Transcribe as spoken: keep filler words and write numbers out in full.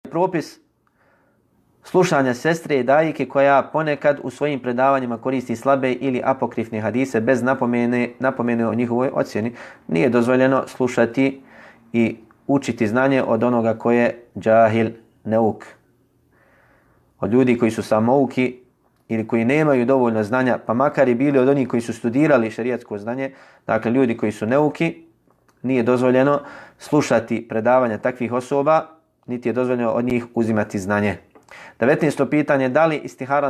propis slušanja sestre i dajike koja ponekad u svojim predavanjima koristi slabe ili apokrifne hadise bez napomene, napomene o njihovoj ocjeni. Nije dozvoljeno slušati i učiti znanje od onoga koje je džahil, neuk. Od ljudi koji su samouki ili koji nemaju dovoljno znanja, pa makar i bili od onih koji su studirali šerijatsko znanje, dakle ljudi koji su neuki, nije dozvoljeno slušati predavanja takvih osoba, niti je dozvoljeno od njih uzimati znanje. devetnaesto pitanje, da li istihara